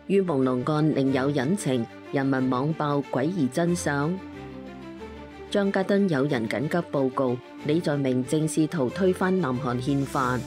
於朦朧案另有隱情，人民網爆詭異真相。張家敦有人緊急報告，李在明正試圖推翻南韓憲法。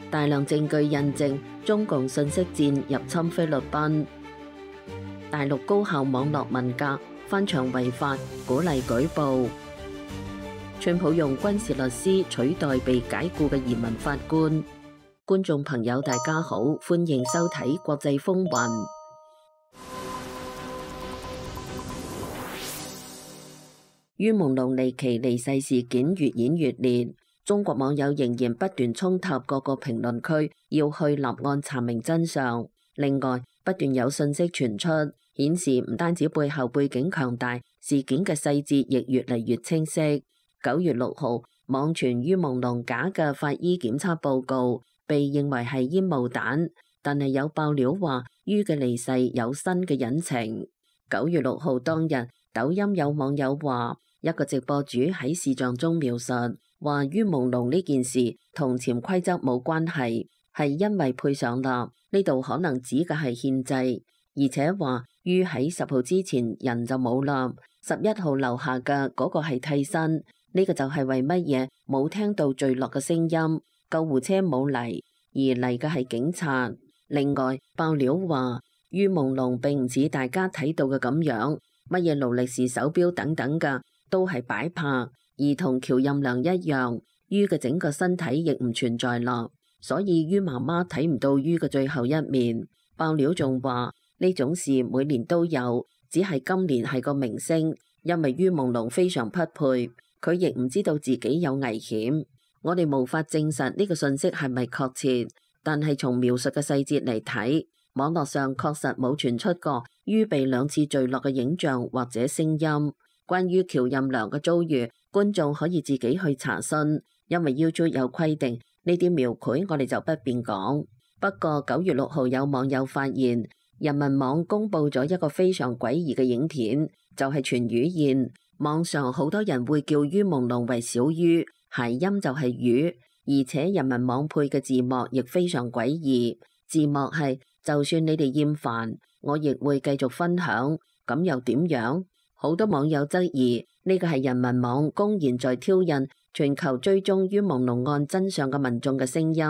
大量證據印證中共信息戰入侵菲律賓。大陸高校網絡文革翻牆違法，鼓勵舉報。川普用軍事律師取代被解僱嘅移民法官。觀眾朋友大家好，歡迎收睇國際風雲。於朦朧離奇離世事件越演越烈，中國網友仍然不斷衝塔各個評論區，要去立案查明真相。另外，不斷有信息傳出，顯示唔單止背後背景強大，事件嘅細節亦越嚟越清晰。9月6號，網傳於朦朧假嘅法醫檢測報告，被認為係煙霧彈，但係有爆料話於嘅離世有新嘅隱情。9月6號當日，抖音有網友話，一個直播主喺視像中描述話於朦朧呢件事同潛規則冇關係，係因為配上啦，呢度可能指嘅係憲制，而且話於喺10號之前人就冇啦，11號留下嘅嗰個係替身，呢個就係為乜嘢冇聽到墜落嘅聲音，救護車冇嚟，而嚟嘅係警察。另外爆料話於朦朧並唔似大家睇到嘅咁樣，乜嘢勞力士手錶等等嘅都係擺拍，而同喬任梁一樣，於嘅整個身體亦唔存在啦，所以於媽媽睇唔到於嘅最後一面。爆料仲話呢種事每年都有，只係今年係個明星，因為於朦朧非常匹配，佢亦唔知道自己有危險。我哋無法證實呢個信息係咪確切，但係從描述嘅細節嚟睇，網絡上確實冇傳出過於被2次墜落嘅影像或者聲音。關於喬任梁嘅遭遇，觀眾可以自己去查詢，因為 YouTube 有規定，呢啲描繪我哋就不便講。不過9月6號有網友發現，人民網公佈咗一個非常詭異嘅影片，就係全魚宴。網上好多人會叫於朦朧為小於，諧音就係魚，而且人民網配嘅字幕亦非常詭異。字幕係就算你哋厭煩，我亦會繼續分享，咁又點樣？好多網友質疑呢個係人民網公然在挑釁全球追蹤於朦朧案真相嘅民眾嘅聲音。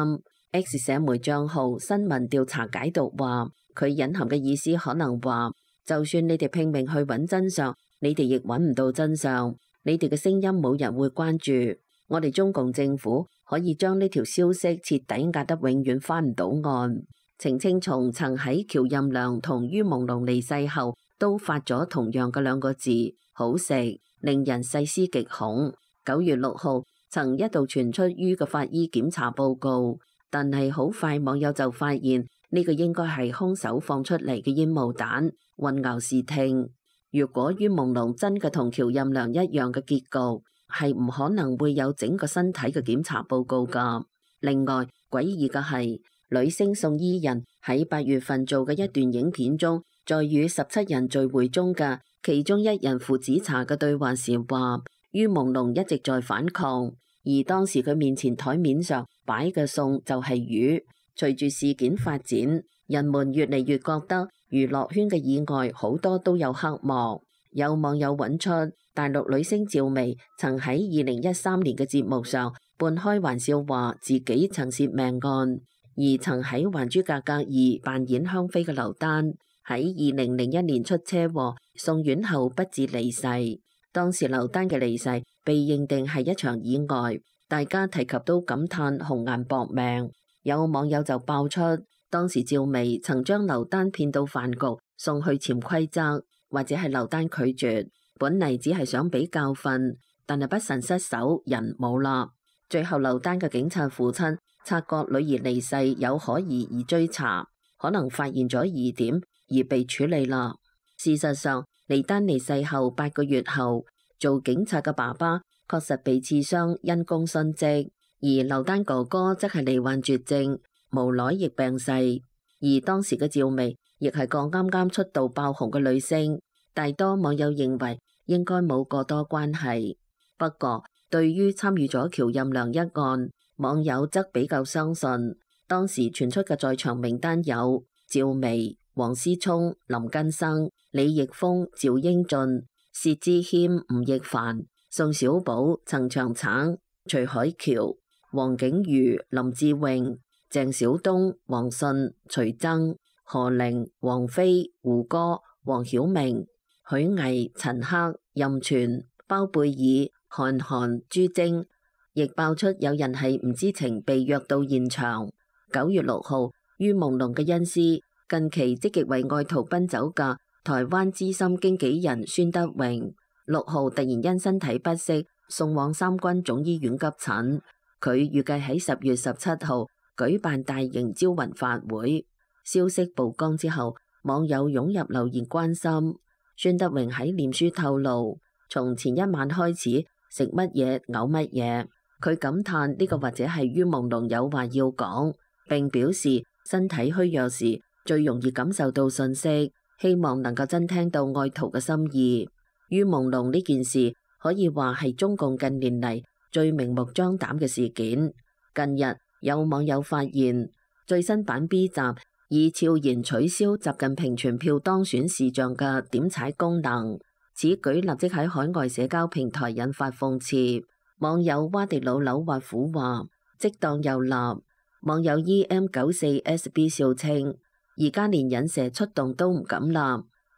X 社媒賬號新聞調查解讀話，佢隱含嘅意思可能話，就算你哋拼命去揾真相，你哋亦揾唔到真相，你哋嘅聲音冇人會關注。我哋中共政府可以將呢條消息徹底壓得永遠翻唔到岸。程青松曾喺喬任梁同於朦朧離世後都發咗同樣嘅2個字，好食，令人細思極恐。9月6號曾一度傳出於嘅法醫檢查報告，但係好快網友就發現呢個應該係兇手放出嚟嘅煙霧彈，混淆視聽。如果於朦朧真嘅同喬任梁一樣嘅結局，係唔可能會有整個身體嘅檢查報告㗎。另外詭異嘅係，女星宋伊人喺8月份做嘅一段影片中，在與17人聚會中嘅其中一人父子茶嘅對話時話，於朦朧一直在反抗，而當時佢面前台面上擺嘅餸就係魚。隨住事件發展，人們越嚟越覺得娛樂圈嘅意外好多都有黑幕。有網友揾出大陸女星趙薇曾喺2013年嘅節目上半開玩笑話自己曾涉命案，而曾喺《還珠格格2》扮演香妃嘅劉丹喺2001年出車禍送院後不治離世。當時劉丹嘅離世被認定係一場意外，大家提及都感嘆紅顏薄命。有網友就爆出當時趙薇曾將劉丹騙到飯局送去潛規則，或者係劉丹拒絕，本嚟只係想俾教訓，但係不慎失手人冇啦。最後劉丹嘅警察父親察覺女兒離世有可疑而追查，可能發現咗疑點而被處理啦。事實上，李丹離世後8個月後，做警察嘅爸爸確實被刺傷因公殉職，而劉丹哥哥則係罹患絕症，無奈亦病逝。而當時嘅趙薇亦係個啱啱出道爆紅嘅女星，大多網友認為應該冇過多關係。不過對於參與咗喬任梁一案，網友則比較相信當時傳出嘅在場名單有趙薇、王思聰、林根生、李易峰、趙英俊、薛之謙、吳亦凡、宋小寶、陳長橙、徐海喬、黃景瑜、林志穎、鄭曉東、王迅、徐崢、何玲、王菲、胡歌、黃曉明、許巍、陳赫、任泉、包貝爾、韓寒、朱晶，亦爆出有人係唔知情被約到現場。9月6號，於朦朧嘅恩師，近期積極為愛徒奔走嘅台灣資深經紀人孫德榮，6號突然因身體不適送往三軍總醫院急診。佢預計喺10月17號舉辦大型招魂法會。消息曝光之後，網友湧入留言關心。孫德榮喺臉書透露，從前一晚開始食乜嘢嘔乜嘢。佢感嘆呢個或者係於朦朧有話要講，並表示身體虛弱時最容易感受到訊息，希望能夠真聽到愛徒嘅心意。於朦朧呢件事可以話係中共近年嚟最明目張膽嘅事件。近日有網友發現最新版 B 集以悄然取消習近平全票當選視像嘅點踩功能，此舉立即喺海外社交平台引發諷刺。網友蛙迪老柳滑虎話即當又立，網友 EM94SB 笑稱而家連引蛇出動都唔敢立，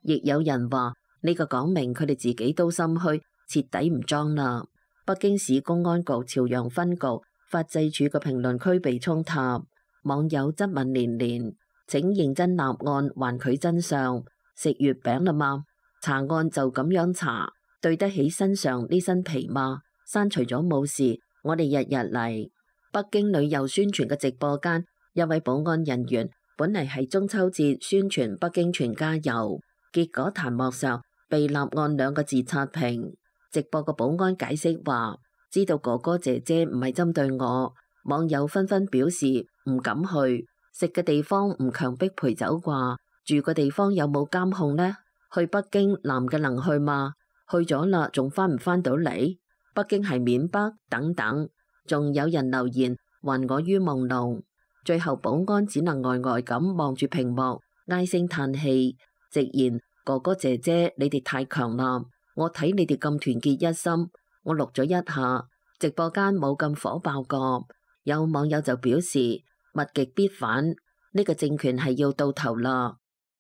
亦有人話呢個講明佢哋自己都心虛，徹底唔裝啦。北京市公安局朝陽分局法制處嘅評論區被衝塔，網友質問連連，請認真立案，還佢真相。食月餅啦嘛？查案就咁樣查，對得起身上呢身皮嗎？刪除咗冇事，我哋日日嚟。北京旅遊宣傳嘅直播間，一位保安人員本嚟係中秋節宣傳北京全家遊，結果彈幕上被立案2個字刷屏。直播個保安解釋話，知道哥哥姐姐唔係針對我。網友紛紛表示唔敢去，食嘅地方唔強迫陪走啩，住嘅地方有冇監控呢？去北京男嘅能去嗎？去咗啦，仲翻唔翻到嚟？北京係緬北等等，仲有人留言還我於朦朧。最後保安只能呆呆咁望住屏幕，唉聲嘆氣，直言哥哥姐姐你哋太強啦，我睇你哋咁團結一心，我錄咗一下，直播間冇咁火爆過。有網友就表示物極必反，呢個政權係要到頭啦。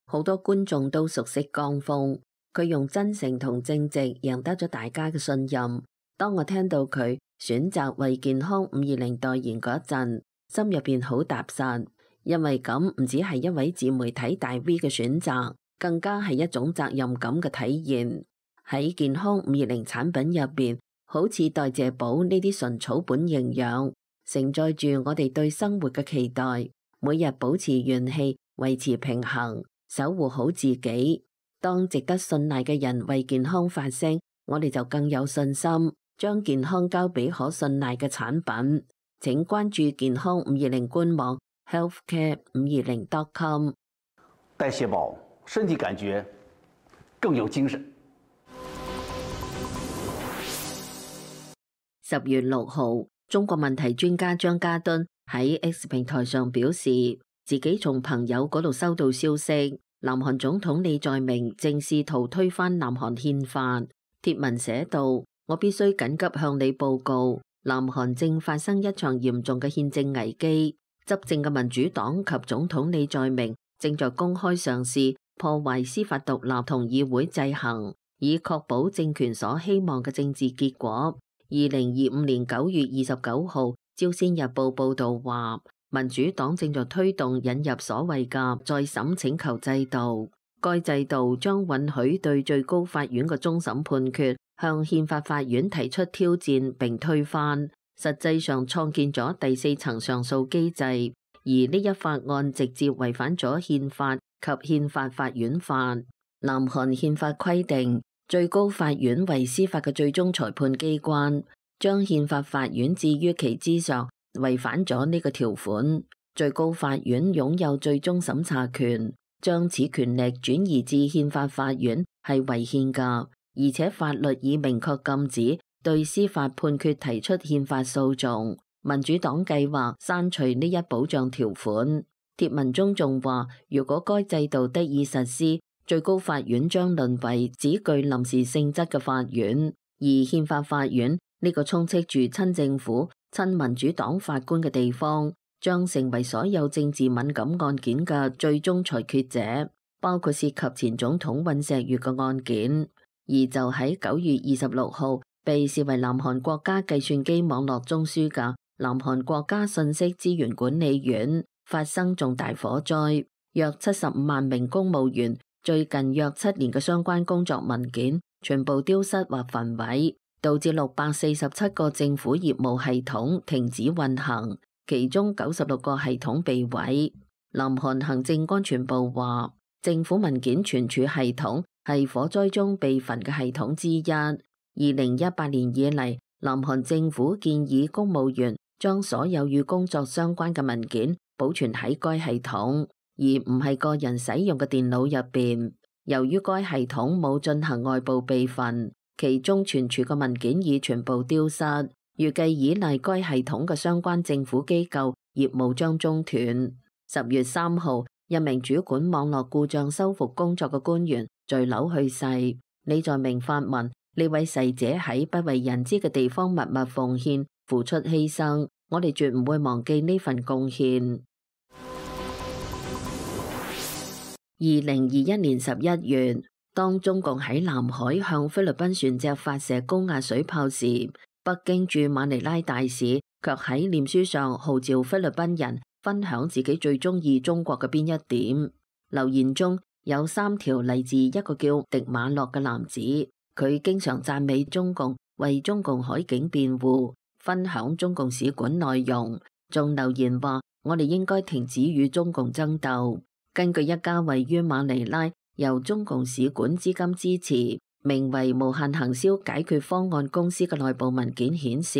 好多觀眾都熟悉江峰，佢用真誠同正直贏得咗大家嘅信任。當我聽到佢選擇為健康520代言嗰陣，心入邊好踏實，因為咁唔只係一位自媒體大 V 嘅選擇，更加係一種責任感嘅體現。喺健康520產品入邊，好似代謝寶呢啲純草本營養，承載住我哋對生活嘅期待，每日保持元氣，維持平衡，守護好自己。當值得信賴嘅人為健康發聲，我哋就更有信心將健康交俾可信賴嘅產品。請關注健康520官網 healthcare520.com。代謝寶，身體感覺更有精神。10月6號，中國問題專家張家敦喺 X 平台上表示，自己從朋友嗰度收到消息，南韓總統李在明正試圖推翻南韓憲法。貼文寫道：我必須緊急向你報告，南韓正發生一場嚴重嘅憲政危機。執政嘅民主黨及總統李在明正在公開嘗試破壞司法獨立同議會制衡，以確保政權所希望嘅政治結果。2025年9月29號，朝鮮日報報道話，民主黨正在推動引入所謂嘅再審請求制度，該制度將允許對最高法院嘅終審判決向憲法法院提出挑戰並推翻，實際上創建咗第4層上訴機制，而呢一法案直接違反咗憲法及憲法法院法。南韓憲法規定，最高法院為司法嘅最終裁判機關，將憲法法院置於其之上，違反咗呢個條款。最高法院擁有最終審查權，將此權力轉移至憲法法院係違憲㗎，而且法律已明確禁止對司法判決提出憲法訴訟。民主黨計劃刪除呢一保障條款。帖文中仲話，如果該制度得以實施，最高法院將淪為只具臨時性質嘅法院，而憲法法院呢個充斥住親政府、親民主黨法官嘅地方，將成為所有政治敏感案件嘅最終裁決者，包括涉及前總統尹錫悅嘅案件。而就喺9月26號，被視為南韓國家計算機網絡中樞嘅南韓國家信息資源管理院發生重大火災，約75萬名公務員最近約7年嘅相關工作文件全部丟失或焚毀，導致647個政府業務系統停止運行，其中96個系統被毀。南韓行政安全部話，政府文件存儲系統係火災中被焚嘅系統之一。2018年以嚟，南韓政府建議公務員將所有與工作相關嘅文件保存喺該系統，而唔係個人使用嘅電腦入邊。由於該系統冇進行外部備份，其中存儲嘅文件已全部丟失。預計依賴該系統嘅相關政府機構業務將中斷。10月3號，一名主管網絡故障修復工作嘅官員墜樓去世。李在明發文，呢位逝者喺不為人知嘅地方默默奉獻、付出犧牲，我哋絕唔會忘記呢份貢獻。2021年11月，當中共喺南海向菲律賓船隻發射高壓水炮時，北京駐馬尼拉大使卻喺臉書上號召菲律賓人分享自己最中意中國嘅邊一點。留言中有3條嚟自一個叫迪馬洛嘅男子，佢經常讚美中共，為中共海警辯護，分享中共使館內容，仲留言話我哋應該停止與中共爭鬥。根據一家位於馬尼拉由中共使館資金支持，名為無限行銷解決方案公司嘅內部文件顯示，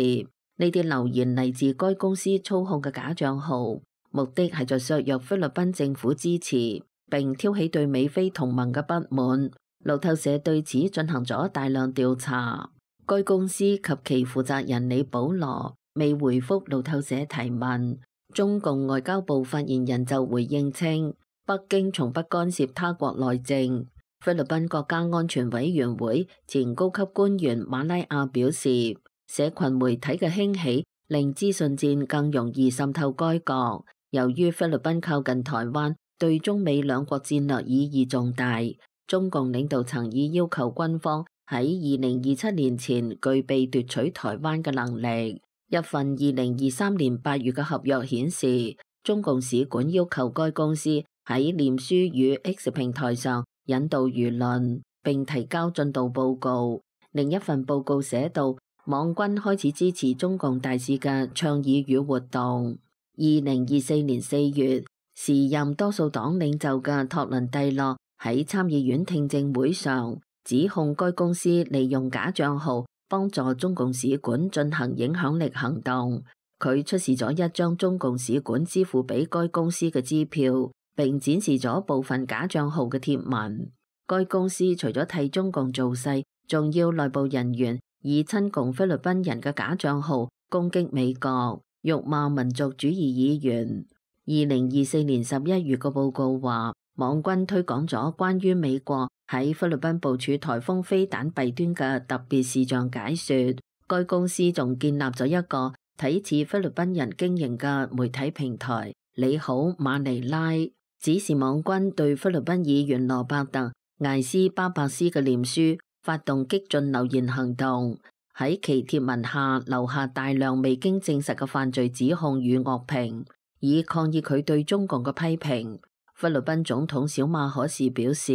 呢啲留言嚟自該公司操控嘅假賬號，目的係在削弱菲律賓政府支持，並挑起對美菲同盟嘅不滿。路透社對此進行咗大量調查，該公司及其負責人李保羅未回覆路透社提問。中共外交部發言人就回應稱，北京從不干涉他國內政。菲律賓國家安全委員會前高級官員馬拉亞表示，社群媒體嘅興起令資訊戰更容易滲透該國。由於菲律賓靠近台灣，對中美兩國戰略意義重大，中共領導層已要求軍方喺2027年前具備奪取台灣嘅能力。一份2023年8月嘅合約顯示，中共使館要求該公司喺臉書與 X 平台上引導輿論，並提交進度報告。另一份報告寫道，網軍開始支持中共大使嘅倡議與活動。2024年4月，時任多數黨領袖嘅托倫蒂諾喺參議院聽證會上指控該公司利用假賬號幫助中共使館進行影響力行動。佢出示咗一張中共使館支付俾該公司嘅支票，並展示咗部分假賬號嘅貼文。該公司除咗替中共造勢，仲要內部人員以親共菲律賓人嘅假賬號攻擊美國，辱罵民族主義議員。2024年11月嘅報告話，網軍推廣咗關於美國喺菲律賓部署颱風飛彈弊端嘅特別視像解說。該公司仲建立咗一個睇似菲律賓人經營嘅媒體平台，你好馬尼拉，指示網軍對菲律賓議員羅伯特艾斯巴伯斯嘅臉書發動激進留言行動，喺其貼文下留下大量未經證實嘅犯罪指控與惡評，以抗議佢對中共嘅批評。菲律賓總統小馬可士表示，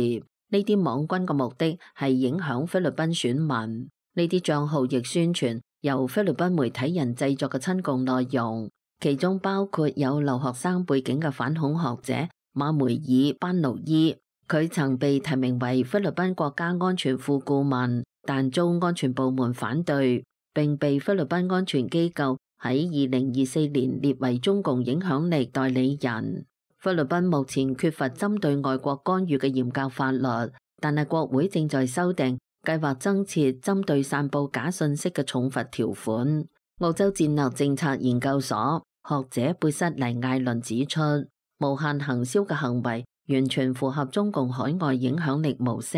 呢啲網軍嘅目的係影響菲律賓選民。呢啲賬號亦宣傳由菲律賓媒體人製作嘅親共內容，其中包括有留學生背景嘅反恐學者馬梅爾班奴伊。佢曾被提名為菲律賓國家安全副顧問，但遭安全部門反對，並被菲律賓安全機構喺2024年列為中共影響力代理人。菲律賓目前缺乏針對外國干預嘅嚴格法律，但係國會正在修訂，計劃增設針對散佈假信息嘅重罰條款。澳洲戰略政策研究所學者貝瑟尼艾倫指出，無限行銷嘅行為完全符合中共海外影響力模式。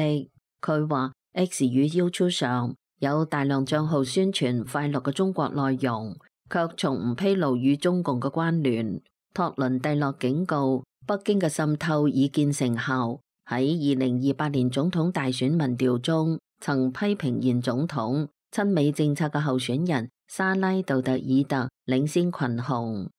佢話 X 與 YouTube 上有大量賬號宣傳快樂嘅中國內容，卻從唔披露與中共嘅關聯。托倫蒂諾警告，北京嘅滲透已見成效。喺2028年總統大選民調中，曾批評現總統親美政策嘅候選人沙拉杜特爾特領先群雄。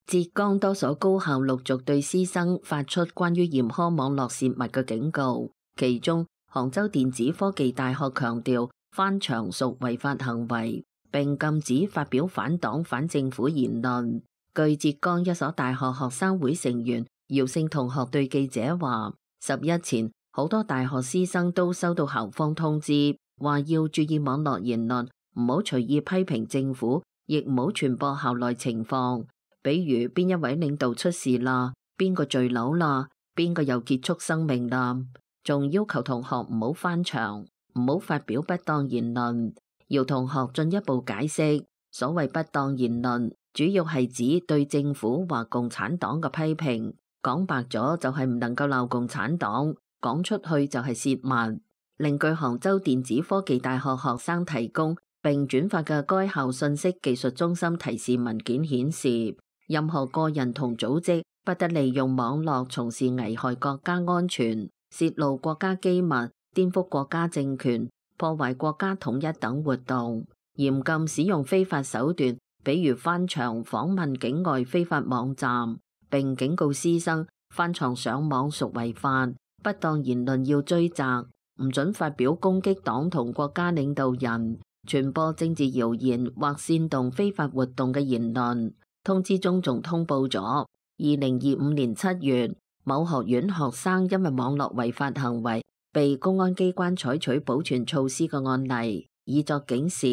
浙江多所高校陸續對師生發出關於嚴苛網絡泄密嘅警告，其中杭州電子科技大學強調翻牆屬違法行為，並禁止發表反黨反政府言論。據浙江一所大學學生會成員姚姓同學對記者話，11前好多大學師生都收到校方通知，話要注意網絡言論，唔好隨意批評政府，亦唔好傳播校內情況，比如邊一位領導出事啦，邊個墜樓啦，邊個又結束生命啦，仲要求同學唔好翻牆，唔好發表不當言論。姚同學進一步解釋，所謂不當言論，主要係指對政府或共產黨嘅批評，講白咗就係唔能夠鬧共產黨，講出去就係泄密。另據杭州電子科技大學學生提供並轉發嘅該校信息技術中心提示文件顯示，任何個人同組織不得利用網絡從事危害國家安全、泄露國家機密、顛覆國家政權、破壞國家統一等活動，嚴禁使用非法手段，比如翻牆訪問境外非法網站，並警告師生翻牆上網屬違法，不當言論要追責，唔准發表攻擊黨同國家領導人、傳播政治謠言或煽動非法活動嘅言論。通知中仲通報咗2025年7月某學院學生因為網絡違法行為被公安機關採取保全措施嘅案例，以作警示。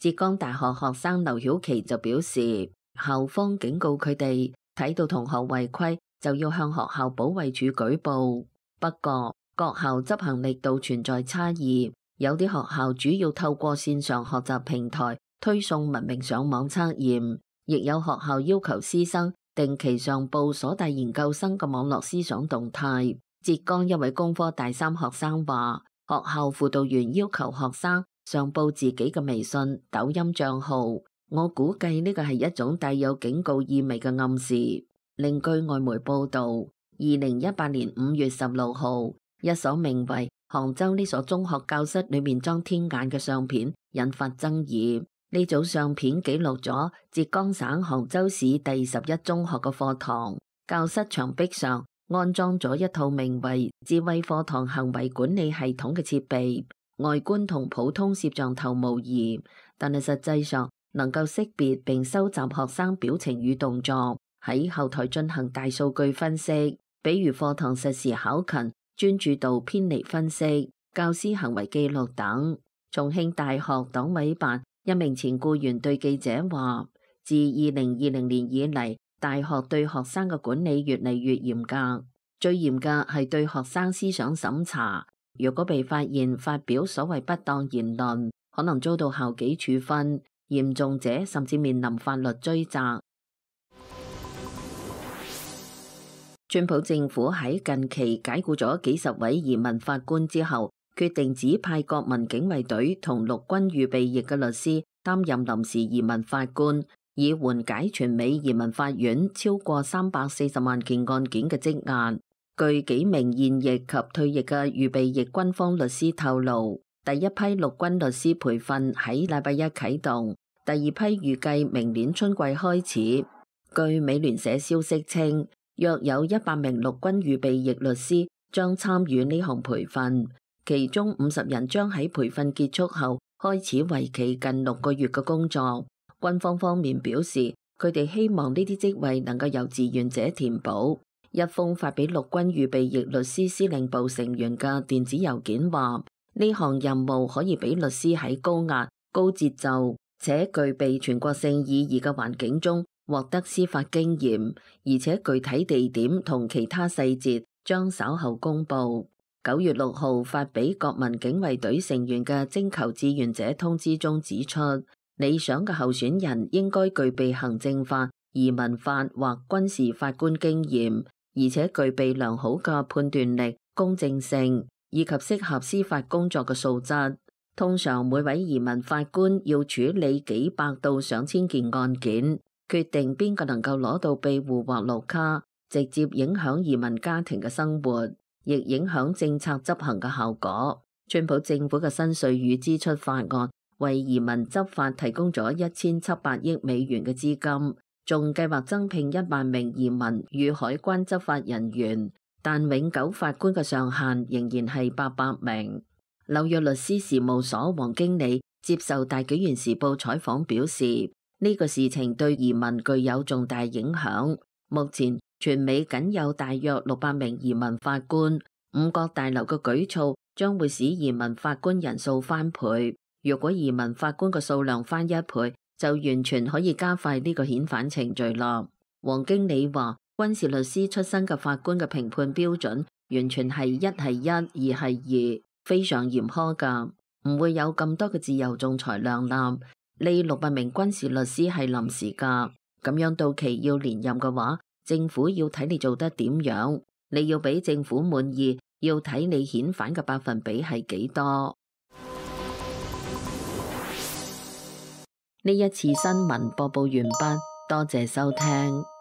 浙江大學學生劉曉琪就表示，校方警告佢哋睇到同學違規就要向學校保衛處舉報。不過各校執行力度存在差異，有啲學校主要透過線上學習平台推送文明上網測驗，亦有學校要求師生定期上報所大研究生嘅網絡思想動態。浙江一位工科大三學生話，學校輔導員要求學生上報自己嘅微信、抖音賬號，我估計呢個係一種帶有警告意味嘅暗示。另據外媒報道，2018年5月16號，一所名為杭州呢所中學教室裏面裝天眼嘅相片引發爭議。呢組相片記錄咗浙江省杭州市第11中學嘅課堂，教室牆壁上安裝咗一套名為智慧課堂行為管理系統嘅設備，外觀同普通攝像頭無異，但係實際上能夠識別並收集學生表情與動作，喺後台進行大數據分析，比如課堂實時考勤、專注度偏離分析、教師行為記錄等。重慶大學黨委辦一名前僱員對記者話，自2020年以嚟，大學對學生嘅管理越嚟越嚴格，最嚴格係對學生思想審查。如果被發現發表所謂不當言論，可能遭到校紀處分，嚴重者甚至面臨法律追責。川普政府喺近期解僱咗幾十位移民法官之後，決定指派國民警衛隊同陸軍預備役嘅律師擔任臨時移民法官，以緩解全美移民法院超過340萬件案件嘅積壓。據幾名現役及退役嘅預備役軍方律師透露，第一批陸軍律師培訓喺禮拜一啟動，第二批預計明年春季開始。據美聯社消息稱，約有100名陸軍預備役律師將參與呢項培訓，其中50人將喺培訓結束後開始為期近6個月嘅工作。軍方方面表示，佢哋希望呢啲職位能夠由志願者填補。一封發俾陸軍預備役律師司令部成員嘅電子郵件話，呢項任務可以俾律師喺高壓、高節奏且具備全國性意義嘅環境中獲得司法經驗，而且具體地點同其他細節將稍後公布。9月6號發俾國民警衛隊成員嘅徵求志願者通知中指出，理想嘅候選人應該具備行政法、移民法或軍事法官經驗，而且具備良好嘅判斷力、公正性以及適合司法工作嘅素質。通常每位移民法官要處理幾百到上千件案件，決定邊個能夠攞到庇護或綠卡，直接影響移民家庭嘅生活，亦影響政策執行嘅效果。川普政府嘅新稅與支出法案為移民執法提供咗1700億美元嘅資金，仲計劃增聘1萬名移民與海關執法人員，但永久法官嘅上限仍然係800名。紐約律師事務所黃經理接受大紀元時報採訪表示，呢個事情對移民具有重大影響。目前全美僅有大約600名移民法官，五角大樓嘅舉措將會使移民法官人數翻倍。如果移民法官嘅數量翻1倍，就完全可以加快呢個遣返程序啦。黃經理話，軍事律師出身嘅法官嘅評判標準完全係1係1，2係2，非常嚴苛噶，唔會有咁多嘅自由仲裁量覽。呢600名軍事律師係臨時噶，咁樣到期要連任嘅話，政府要睇你做得點樣，你要俾政府滿意，要睇你遣返嘅百分比係幾多。呢一次新聞播報完畢，多謝收聽。